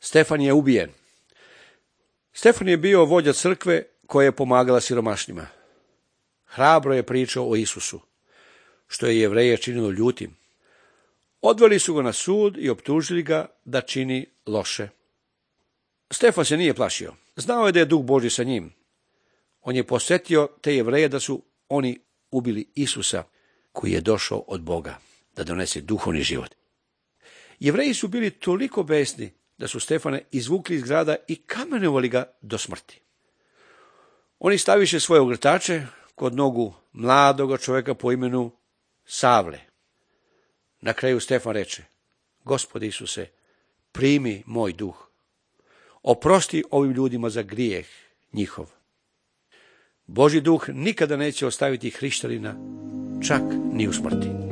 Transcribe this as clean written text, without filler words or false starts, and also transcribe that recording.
Stefan je ubijen. Stefan je bio vođa crkve koja je pomagala siromašnima. Hrabro je pričao o Isusu, što je Jevreje činilo ljutim. Odveli su ga na sud i optužili ga da čini loše. Stefan se nije plašio. Znao je da je Duh Božji sa njim. On je posjetio te Jevreje da su oni ubili Isusa, koji je došao od Boga da donese duhovni život. Jevreji su bili toliko besni da su Stefana izvukli iz grada i kamenovali ga do smrti. Oni staviše svoje ogrtače kod nogu mladoga čovjeka po imenu Savle. Na kraju Stefan reče: Gospode Isuse, primi moj duh. Oprosti ovim ljudima za grijeh njihov. Božji duh nikada neće ostaviti hrišćanina, čak ni u smrti.